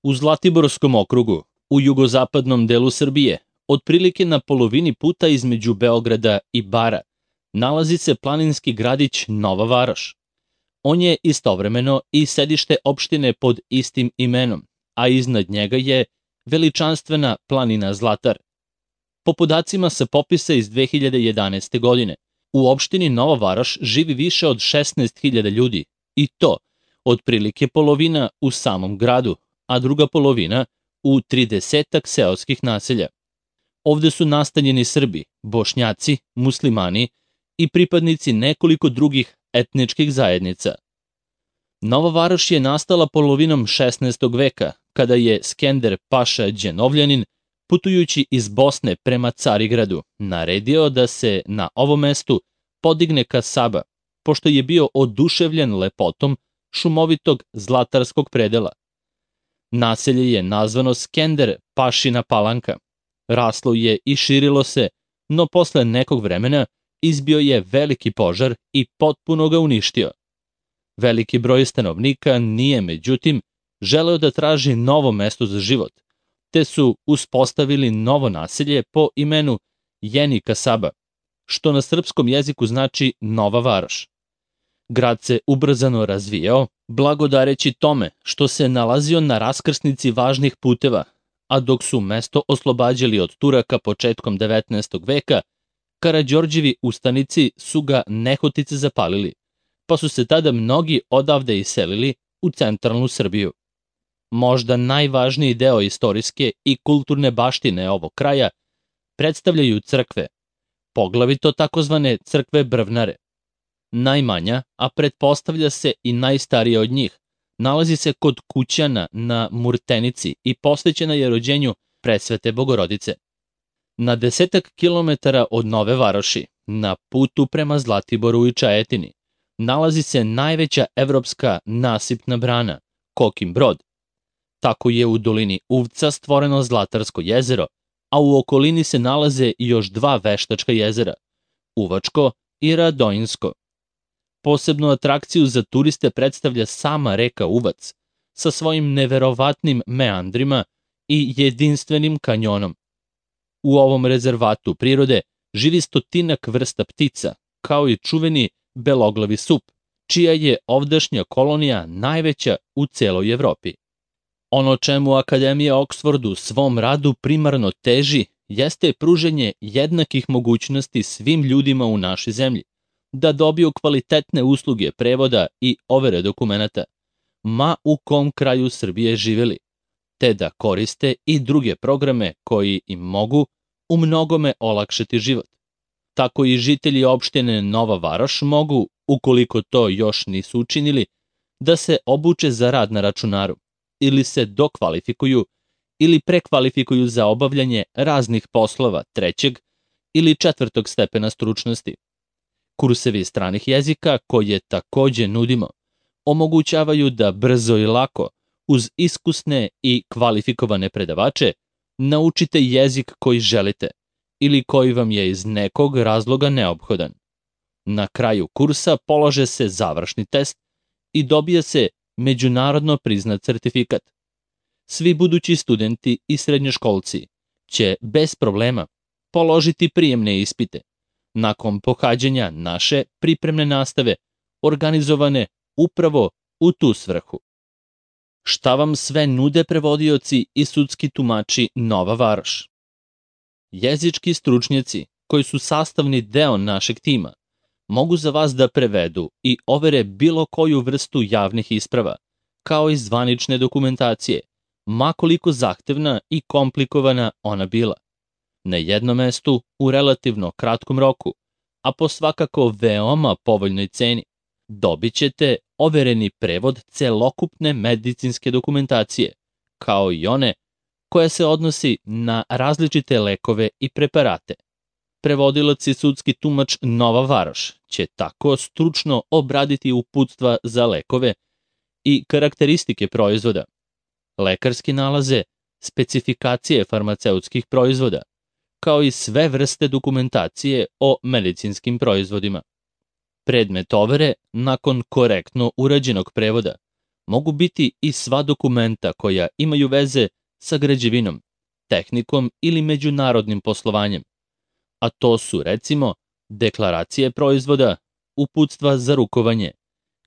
U Zlatiborskom okrugu, u jugozapadnom delu Srbije, otprilike na polovini puta između Beograda i Bara, nalazi se planinski gradić Nova Varoš. On je istovremeno i sedište opštine pod istim imenom, a iznad njega je veličanstvena planina Zlatar. Po podacima sa popisa iz 2011. godine, u opštini Nova Varoš živi više od 16.000 ljudi, i to otprilike polovina u samom gradu, a druga polovina u 30 seoskih naselja. Ovde su nastanjeni Srbi, Bošnjaci, muslimani i pripadnici nekoliko drugih etničkih zajednica. Nova Varoš je nastala polovinom 16. veka, kada je Skender Paša Đenovljanin, putujući iz Bosne prema Carigradu, naredio da se na ovom mestu podigne kasaba, pošto je bio oduševljen lepotom šumovitog zlatarskog predela. Naselje je nazvano Skender Pašina Palanka. Raslo je i širilo se, no posle nekog vremena izbio je veliki požar i potpuno ga uništio. Veliki broj stanovnika nije, međutim, želeo da traži novo mesto za život, te su uspostavili novo naselje po imenu Jeni Kasaba, što na srpskom jeziku znači Nova Varoš. Grad se ubrzano razvijao, blagodareći tome što se nalazio na raskrsnici važnih puteva, a dok su mesto oslobađali od Turaka početkom 19. veka, Karađorđevi ustanici su ga nehotice zapalili, pa su se tada mnogi odavde iselili u centralnu Srbiju. Možda najvažniji deo istorijske i kulturne baštine ovog kraja predstavljaju crkve, poglavito takozvane crkve Brvnare. Najmanja, a pretpostavlja se i najstarija od njih, nalazi se kod Kućana na Murtenici i posvećena je rođenju Presvete Bogorodice. Na 10 kilometara od Nove Varoši, na putu prema Zlatiboru i Čajetini, nalazi se najveća evropska nasipna brana, Kokin Brod. Tako je u dolini Uvca stvoreno Zlatarsko jezero, a u okolini se nalaze još dva veštačka jezera, Uvačko i Radojinsko. Posebnu atrakciju za turiste predstavlja sama reka Uvac, sa svojim neverovatnim meandrima i jedinstvenim kanjonom. U ovom rezervatu prirode živi 100 vrsta ptica, kao i čuveni beloglavi sup, čija je ovdašnja kolonija najveća u celoj Evropi. Ono čemu Akademija Oksford u svom radu primarno teži jeste pruženje jednakih mogućnosti svim ljudima u našoj zemlji, da dobiju kvalitetne usluge prevoda i overe dokumenata, ma u kom kraju Srbije živeli, te da koriste i druge programe koji im mogu u mnogome olakšati život. Tako i žitelji opštine Nova Varoš mogu, ukoliko to još nisu učinili, da se obuče za rad na računaru, ili se dokvalifikuju ili prekvalifikuju za obavljanje raznih poslova 3. ili 4. stepena stručnosti. Kursevi stranih jezika, koje takođe nudimo, omogućavaju da brzo i lako, uz iskusne i kvalifikovane predavače, naučite jezik koji želite ili koji vam je iz nekog razloga neophodan. Na kraju kursa polaže se završni test i dobija se međunarodno priznat sertifikat. Svi budući studenti i srednjoškolci će bez problema položiti prijemne ispite, nakon pohađanja naše pripremne nastave, organizovane upravo u tu svrhu. Šta vam sve nude prevodioci i sudski tumači Nova Varoš? Jezički stručnjaci, koji su sastavni deo našeg tima, mogu za vas da prevedu i overe bilo koju vrstu javnih isprava, kao i zvanične dokumentacije, ma koliko zahtevna i komplikovana ona bila. Na jednom mestu, u relativno kratkom roku, a po svakako veoma povoljnoj ceni, dobit ćete overeni prevod celokupne medicinske dokumentacije, kao i one koja se odnosi na različite lekove i preparate. Prevodilac i sudski tumač Nova Varoš će tako stručno obraditi uputstva za lekove i karakteristike proizvoda, lekarski nalaze, specifikacije farmaceutskih proizvoda, kao i sve vrste dokumentacije o medicinskim proizvodima. Predmet overe, nakon korektno urađenog prevoda, mogu biti i sva dokumenta koja imaju veze sa građevinom, tehnikom ili međunarodnim poslovanjem. A to su, recimo, deklaracije proizvoda, uputstva za rukovanje,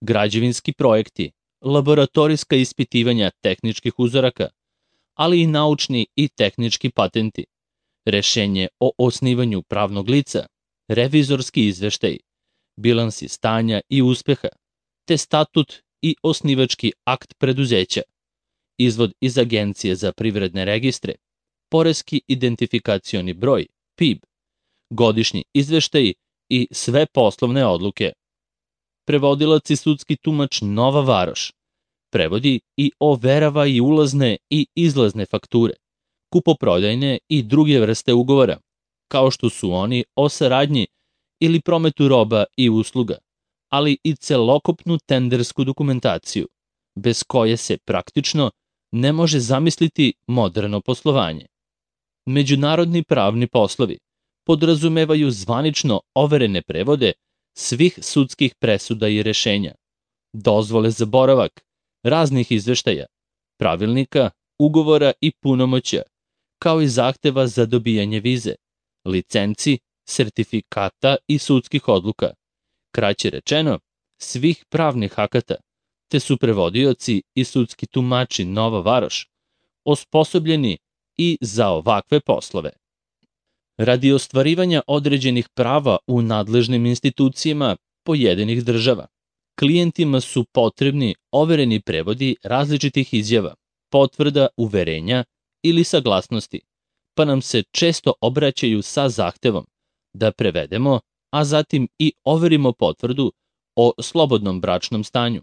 građevinski projekti, laboratorijska ispitivanja tehničkih uzoraka, ali i naučni i tehnički patenti, rešenje o osnivanju pravnog lica, revizorski izveštaj, bilansi stanja i uspeha, te statut i osnivački akt preduzeća, izvod iz Agencije za privredne registre, poreski identifikacioni broj, PIB, godišnji izveštaj i sve poslovne odluke. Prevodilac i sudski tumač Nova Varoš prevodi i overava i ulazne i izlazne fakture, kupoprodajne i druge vrste ugovora, kao što su oni o saradnji ili prometu roba i usluga, ali i celokupnu tendersku dokumentaciju, bez koje se praktično ne može zamisliti moderno poslovanje. Međunarodni pravni poslovi podrazumevaju zvanično overene prevode svih sudskih presuda i rešenja, dozvole za boravak, raznih izveštaja, pravilnika, ugovora i punomoćja, kao i zahteva za dobijanje vize, licenci, sertifikata i sudskih odluka, kraće rečeno, svih pravnih akata, te su prevodioci i sudski tumači Nova Varoš osposobljeni i za ovakve poslove. Radi ostvarivanja određenih prava u nadležnim institucijama pojedinih država, klijentima su potrebni overeni prevodi različitih izjava, potvrda, uverenja ili saglasnosti, pa nam se često obraćaju sa zahtevom da prevedemo, a zatim i overimo potvrdu o slobodnom bračnom stanju,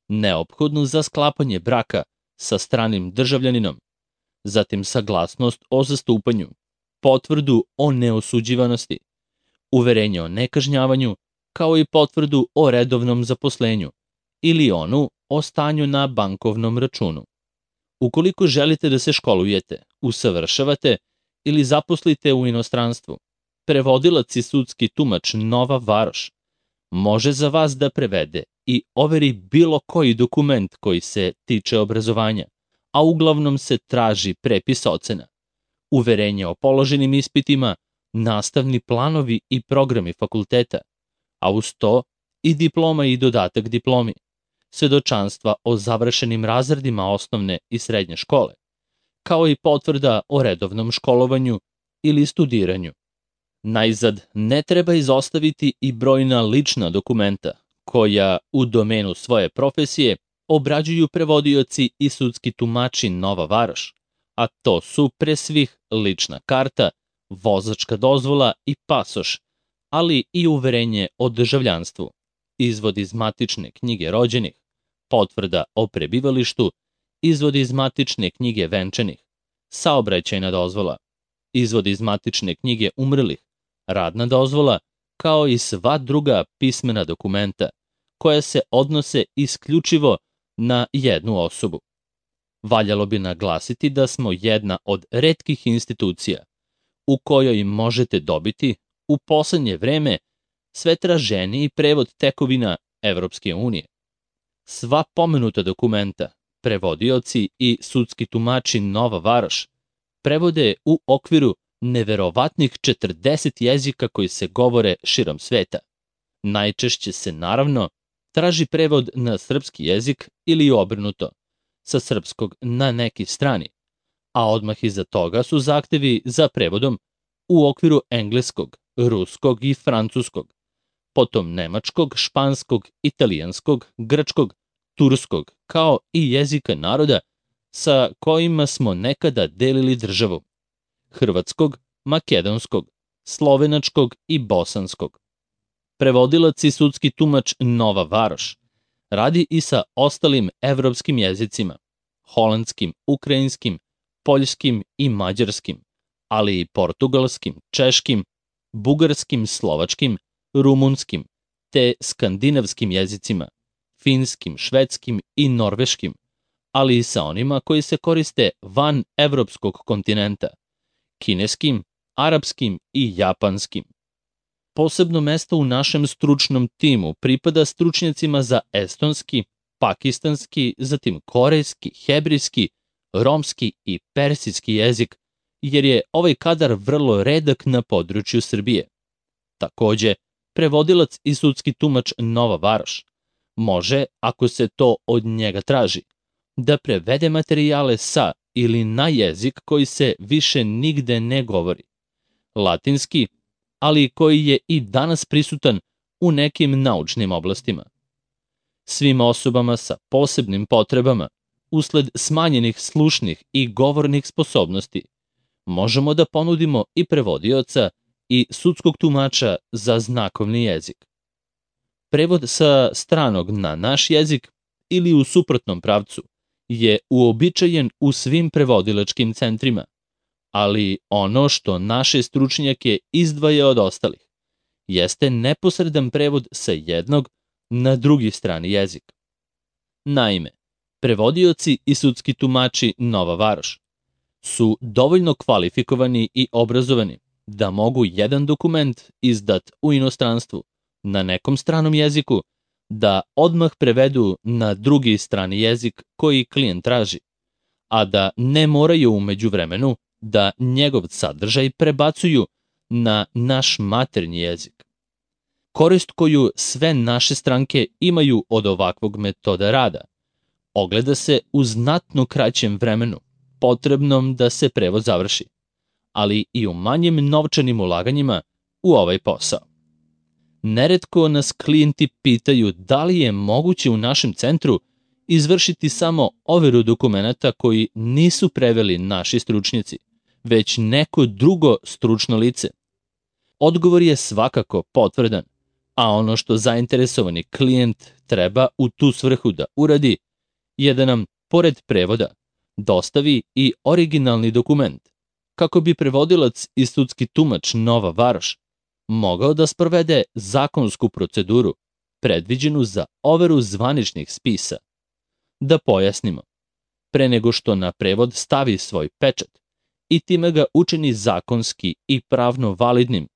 neophodnu za sklapanje braka sa stranim državljaninom, zatim saglasnost o zastupanju, potvrdu o neosuđivanosti, uverenje o nekažnjavanju, kao i potvrdu o redovnom zaposlenju ili onu o stanju na bankovnom računu. Ukoliko želite da se školujete, usavršavate ili zaposlite u inostranstvu, prevodilac i sudski tumač Nova Varoš može za vas da prevede i overi bilo koji dokument koji se tiče obrazovanja, a uglavnom se traži prepis ocena, uverenje o položenim ispitima, nastavni planovi i programi fakulteta, a uz to i diploma i dodatak diplomi, svedočanstva o završenim razredima osnovne i srednje škole, kao i potvrda o redovnom školovanju ili studiranju. Najzad, ne treba izostaviti i brojna lična dokumenta, koja u domenu svoje profesije obrađuju prevodioci i sudski tumači Nova Varoš, a to su pre svih lična karta, vozačka dozvola i pasoš, ali i uverenje o državljanstvu, izvod iz matične knjige rođenih, potvrda o prebivalištu, izvod iz matične knjige venčanih, saobraćajna dozvola, izvod iz matične knjige umrlih, radna dozvola, kao i sva druga pismena dokumenta koja se odnose isključivo na jednu osobu. Valjalo bi naglasiti da smo jedna od retkih institucija u kojoj možete dobiti u poslednje vreme sve traženiji prevod tekovina Evropske unije. Sva pomenuta dokumenta, prevodioci i sudski tumači Nova Varoš prevode u okviru neverovatnih 40 jezika koji se govore širom sveta. Najčešće se, naravno, traži prevod na srpski jezik ili obrnuto, sa srpskog na neki strani, a odmah iza toga su zahtevi za prevodom u okviru engleskog, ruskog i francuskog, potom nemačkog, španskog, italijanskog, grčkog, turskog, kao i jezika naroda sa kojima smo nekada delili državu, hrvatskog, makedonskog, slovenačkog i bosanskog. Prevodilac i sudski tumač Nova Varoš radi i sa ostalim evropskim jezicima, holandskim, ukrajinskim, poljskim i mađarskim, ali i portugalskim, češkim, bugarskim, slovačkim, rumunskim, te skandinavskim jezicima, finskim, švedskim i norveškim, ali i sa onima koji se koriste van evropskog kontinenta, kineskim, arapskim i japanskim. Posebno mesto u našem stručnom timu pripada stručnjacima za estonski, pakistanski, zatim korejski, hebrijski, romski i persijski jezik, jer je ovaj kadar vrlo redak na području Srbije. Takođe, prevodilac i sudski tumač Nova Varoš može, ako se to od njega traži, da prevede materijale sa ili na jezik koji se više nigde ne govori, latinski, ali koji je i danas prisutan u nekim naučnim oblastima. Svim osobama sa posebnim potrebama, usled smanjenih slušnih i govornih sposobnosti, možemo da ponudimo i prevodioca i sudskog tumača za znakovni jezik. Prevod sa stranog na naš jezik ili u suprotnom pravcu je uobičajen u svim prevodilačkim centrima, ali ono što naše stručnjake izdvaja od ostalih jeste neposredan prevod sa jednog na drugi strani jezik. Naime, prevodioci i sudski tumači Nova Varoš su dovoljno kvalifikovani i obrazovani da mogu jedan dokument izdat u inostranstvu na nekom stranom jeziku da odmah prevedu na drugi strani jezik koji klijent traži, a da ne moraju u međuvremenu da njegov sadržaj prebacuju na naš maternji jezik. Korist koju sve naše stranke imaju od ovakvog metoda rada ogleda se u znatno kraćem vremenu potrebnom da se prevod završi, ali i u manjim novčanim ulaganjima u ovaj posao. Neretko nas klijenti pitaju da li je moguće u našem centru izvršiti samo overu dokumenata koji nisu preveli naši stručnjaci, već neko drugo stručno lice. Odgovor je svakako potvrdan, a ono što zainteresovani klijent treba u tu svrhu da uradi je da nam, pored prevoda, dostavi i originalni dokument, kako bi prevodilac i sudski tumač Nova Varoš mogao da sprovede zakonsku proceduru predviđenu za overu zvaničnih spisa. Da pojasnimo, pre nego što na prevod stavi svoj pečat i time ga učini zakonski i pravno validnim,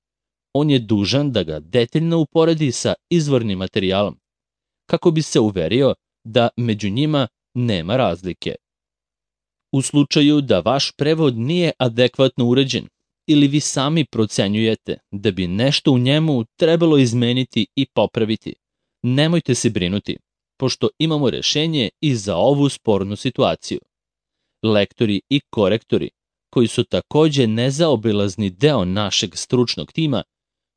on je dužan da ga detaljno uporedi sa izvornim materijalom, kako bi se uverio da među njima nema razlike. U slučaju da vaš prevod nije adekvatno uređen ili vi sami procenjujete da bi nešto u njemu trebalo izmeniti i popraviti, nemojte se brinuti, pošto imamo rešenje i za ovu spornu situaciju. Lektori i korektori, koji su takođe nezaobilazni deo našeg stručnog tima,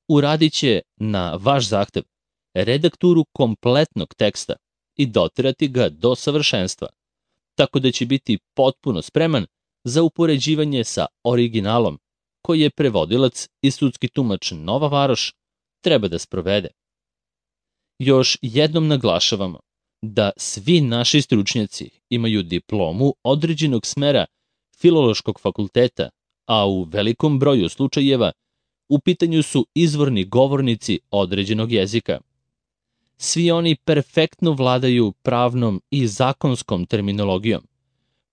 uradit će na vaš zahtev redakturu kompletnog teksta i doterati ga do savršenstva, tako da će biti potpuno spreman za upoređivanje sa originalom koji je prevodilac i sudski tumač Nova Varoš treba da sprovede. Još jednom naglašavamo da svi naši stručnjaci imaju diplomu određenog smera Filološkog fakulteta, a u velikom broju slučajeva u pitanju su izvorni govornici određenog jezika. Svi oni perfektno vladaju pravnom i zakonskom terminologijom,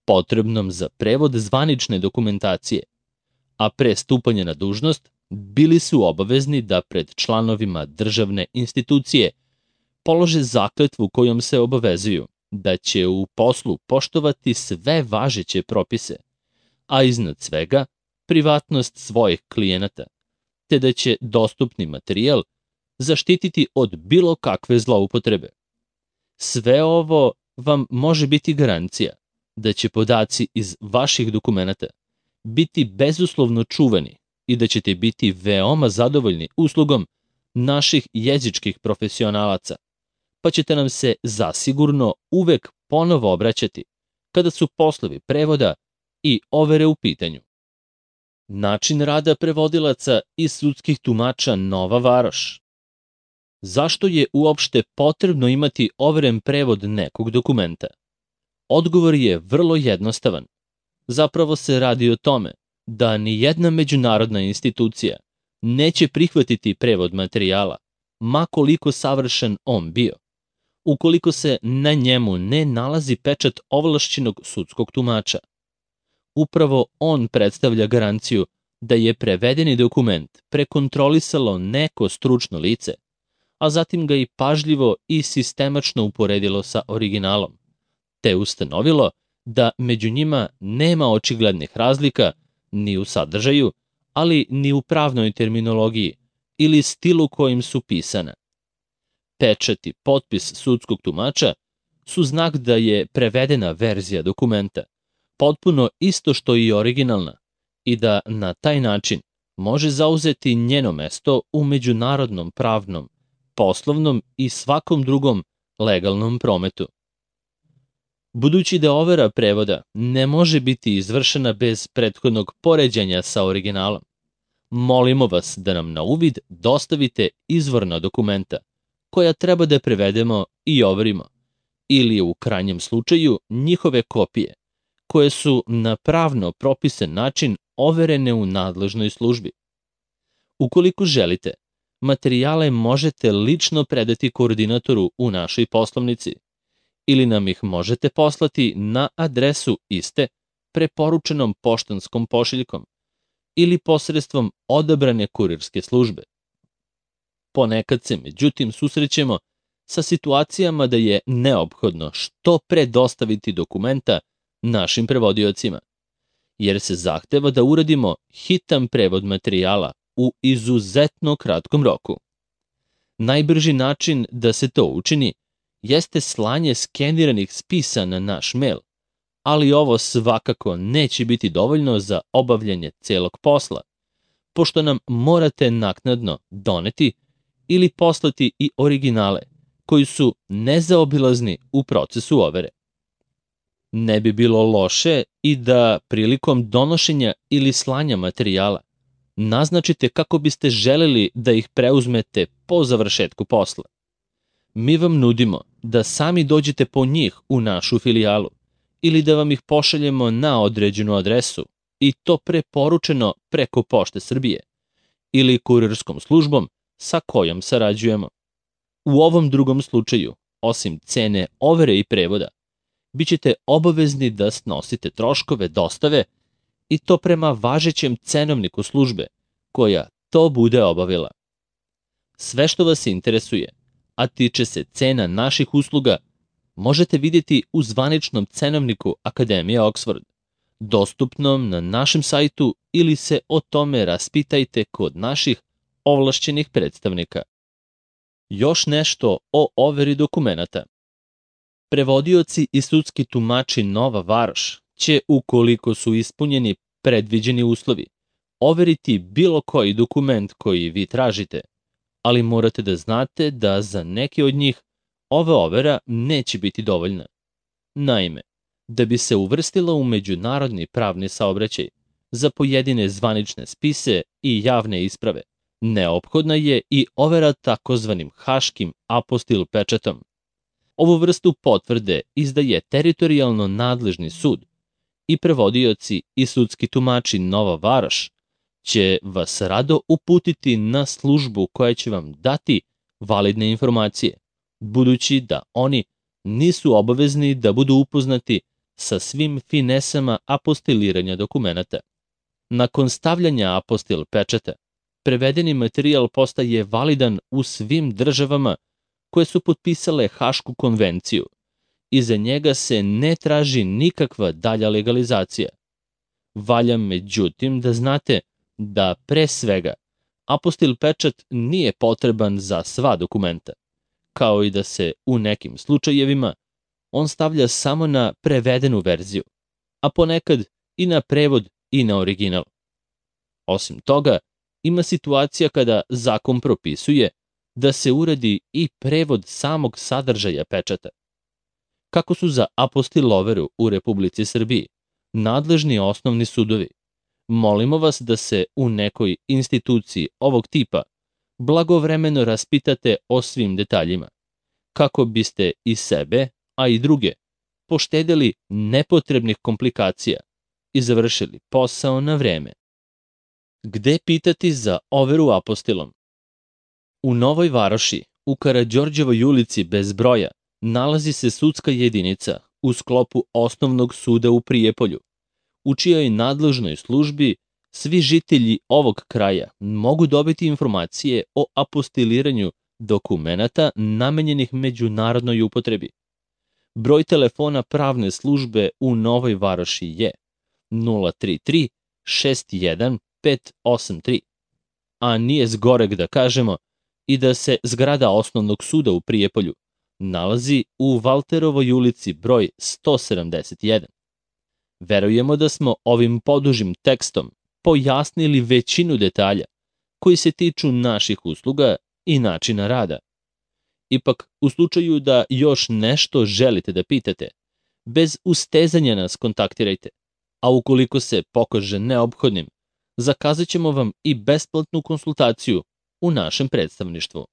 potrebnom za prevod zvanične dokumentacije, a pre stupanja na dužnost bili su obavezni da pred članovima državne institucije polože zakletvu kojom se obavezuju da će u poslu poštovati sve važeće propise, a iznad svega privatnost svojih klijenata, te da će dostupni materijal zaštititi od bilo kakve zloupotrebe. Sve ovo vam može biti garancija da će podaci iz vaših dokumenata biti bezuslovno čuvani i da ćete biti veoma zadovoljni uslugom naših jezičkih profesionalaca, pa ćete nam se zasigurno uvek ponovo obraćati kada su poslovi prevoda i overe u pitanju. Način rada prevodilaca i sudskih tumača Nova Varoš. Zašto je uopšte potrebno imati overen prevod nekog dokumenta? Odgovor je vrlo jednostavan. Zapravo se radi o tome da ni jedna međunarodna institucija neće prihvatiti prevod materijala, ma koliko savršen on bio, ukoliko se na njemu ne nalazi pečat ovlašćenog sudskog tumača. Upravo on predstavlja garanciju da je prevedeni dokument prekontrolisalo neko stručno lice, a zatim ga i pažljivo i sistemačno uporedilo sa originalom, te ustanovilo da među njima nema očiglednih razlika ni u sadržaju, ali ni u pravnoj terminologiji ili stilu kojim su pisana. Pečat i potpis sudskog tumača su znak da je prevedena verzija dokumenta, potpuno isto što i originalna, i da na taj način može zauzeti njeno mesto u međunarodnom pravnom, poslovnom i svakom drugom legalnom prometu. Budući da overa prevoda ne može biti izvršena bez prethodnog poređenja sa originalom, molimo vas da nam na uvid dostavite izvorna dokumenta koja treba da prevedemo i overimo, ili u krajnjem slučaju njihove kopije, koje su na pravno propisan način overene u nadležnoj službi. Ukoliko želite, materijale možete lično predati koordinatoru u našoj poslovnici ili nam ih možete poslati na adresu iste preporučenom poštanskom pošiljkom ili posredstvom odabrane kurirske službe. Ponekad se, međutim, susrećemo sa situacijama da je neophodno što pre dostaviti dokumenta našim prevodiocima, jer se zahteva da uradimo hitan prevod materijala u izuzetno kratkom roku. Najbrži način da se to učini jeste slanje skeniranih spisa na naš mail, ali ovo svakako neće biti dovoljno za obavljanje celog posla, pošto nam morate naknadno doneti ili poslati i originale koji su nezaobilazni u procesu overe. Ne bi bilo loše i da prilikom donošenja ili slanja materijala naznačite kako biste želeli da ih preuzmete po završetku posla. Mi vam nudimo da sami dođete po njih u našu filijalu ili da vam ih pošaljemo na određenu adresu, i to preporučeno preko Pošte Srbije ili kurirskom službom sa kojom sarađujemo. U ovom drugom slučaju, osim cene overe i prevoda, bićete obavezni da snosite troškove dostave, i to prema važećem cenovniku službe koja to bude obavila. Sve što vas interesuje, a tiče se cena naših usluga, možete vidjeti u zvaničnom cenovniku Akademije Oxford, dostupnom na našem sajtu, ili se o tome raspitajte kod naših ovlašćenih predstavnika. Još nešto o overi dokumenata. Prevodioci i sudski tumači Nova Varoš će, ukoliko su ispunjeni predviđeni uslovi, overiti bilo koji dokument koji vi tražite, ali morate da znate da za neke od njih ova overa neće biti dovoljna. Naime, da bi se uvrstila u međunarodni pravni saobraćaj za pojedine zvanične spise i javne isprave, neophodna je i overa takozvanim haškim apostil pečatom. Ovu vrstu potvrde izdaje teritorijalno nadležni sud, i prevodioci i sudski tumači Nova Varoš će vas rado uputiti na službu koja će vam dati validne informacije, budući da oni nisu obavezni da budu upoznati sa svim finesama apostiliranja dokumenata. Nakon stavljanja apostil pečata, prevedeni materijal postaje validan u svim državama koje su potpisale Hašku konvenciju i za njega se ne traži nikakva dalja legalizacija. Valja međutim da znate da pre svega apostil pečat nije potreban za sva dokumenta, kao i da se u nekim slučajevima on stavlja samo na prevedenu verziju, a ponekad i na prevod i na original. Osim toga, ima situacija kada zakon propisuje da se uradi i prevod samog sadržaja pečata. Kako su za apostil overu u Republici Srbiji nadležni osnovni sudovi, molimo vas da se u nekoj instituciji ovog tipa blagovremeno raspitate o svim detaljima, kako biste i sebe, a i druge, poštedeli nepotrebnih komplikacija i završili posao na vreme. Gde pitati za overu apostilom? U Novoj Varoši, u Karađorđevoj ulici bez broja, nalazi se sudska jedinica u sklopu Osnovnog suda u Prijepolju, u čijoj nadležnoj službi svi žitelji ovog kraja mogu dobiti informacije o apostiliranju dokumenata namenjenih međunarodnoj upotrebi. Broj telefona pravne službe u Novoj Varoši je 033 61 583, a nije zgoreg da kažemo i da se zgrada Osnovnog suda u Prijepolju nalazi u Valterovoj ulici broj 171. Verujemo da smo ovim podužim tekstom pojasnili većinu detalja koji se tiču naših usluga i načina rada. Ipak, u slučaju da još nešto želite da pitate, bez ustezanja nas kontaktirajte, a ukoliko se pokaže neophodnim, zakazat ćemo vam i besplatnu konsultaciju u našem predstavništvu.